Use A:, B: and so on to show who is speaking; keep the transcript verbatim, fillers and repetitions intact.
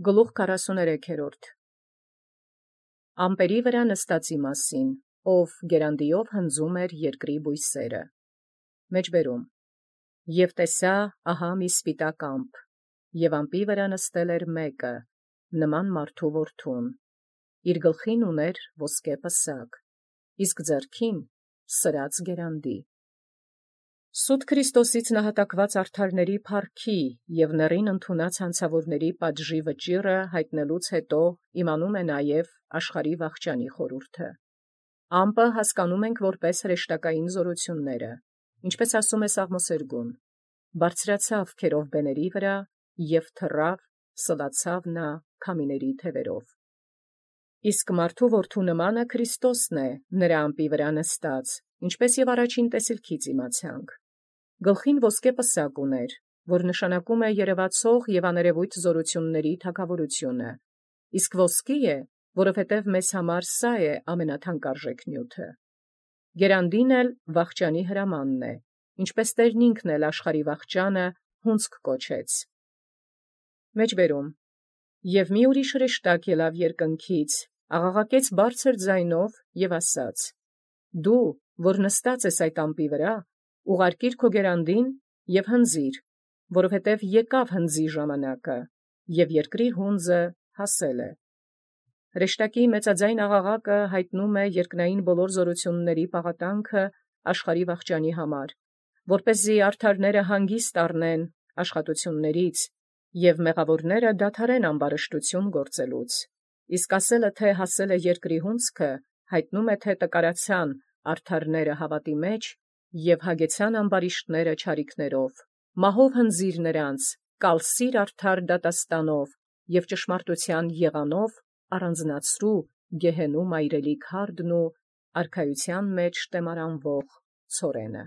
A: Գլուխ քառասունութերորդ. Ամպերի վրա նստածի մասին, ով գերանդիով հնձում էր երկրի բույսերը։ Մեջբերում. Եւ տեսա ահա մի սպիտակ ամպ, և ամպի վրա նստել էր մեկը, նման մարդու որդուն, իր գլխին ուներ ոսկե պսակ, իսկ ձեռքին սրած գերանդի։ Սուտ Քրիստոսից նահատակված արդարների փառքի և նռին ընդունած հանցավորների պատժի վճիռը յայտնելուց հետո իմանում է նաև աշխարհի վախճանի խորհուրդը։ Ամպը հասկանում ենք որպես հրեշտակային զորությունները, ինչպես ասում է Սաղմոսերգուն. «Բարձրացավ քերովբեների վրա և թռավ, սլացավ նա քամիների թևերով»։ Իսկ մարդու որդու նմանը Քրիստոսն է նրա ամպի վրա նստած, ինչպես և առաջին տեսիլքից իմացանք։ Գլխին ոսկե պսակ ուներ, որ նշանակում է երևացող և աներևույթ զորությունների թագավորությունը, իսկ ոսկի է, որովհետև մեզ համար սա է ամենաթանկարժեք նյութը։ Գերանդին էլ վախճանի հրամանն է, ինչպես Տերն ինքն էլ աշխարհի վախճանը հունձք կոչեց։ Մեջբերում. Եւ մի ուրիշ հրեշտակ ելավ երկնքից, աղաղակեց բարձր ձայնով և ասաց. «Դու, որ նստած ես այդ ամպի վրա, ուղարկիր քո գերանդին և հնձիր, որովհետև եկավ հնձի ժամանակը, և երկրի հունձը հասել է»։ Հրեշտակի մեծաձայն աղաղակը յայտնում է երկնային բոլոր զորությունների պաղատանքը աշխարհի վախճանի համար, որպեսզի արդարները հանգիստ առնեն աշխատություններից, և մեղավորները դադարեն ամբարշտություն գործելուց։ Իսկ ասելը թե հասել է երկրի հունձքը, յայտնում է թե տկարացան արդարները հավատի մեջ և հագեցան ամբարիշտները չարիքներով։ Մահով հնձիր նրանց, կալսիր արդար դատաստանով և ճշմարտութեան եղանով առանձնացրու գեհենու մայրելի քարդն ու արքայութեան մեջ տեմարանվող ցորենը։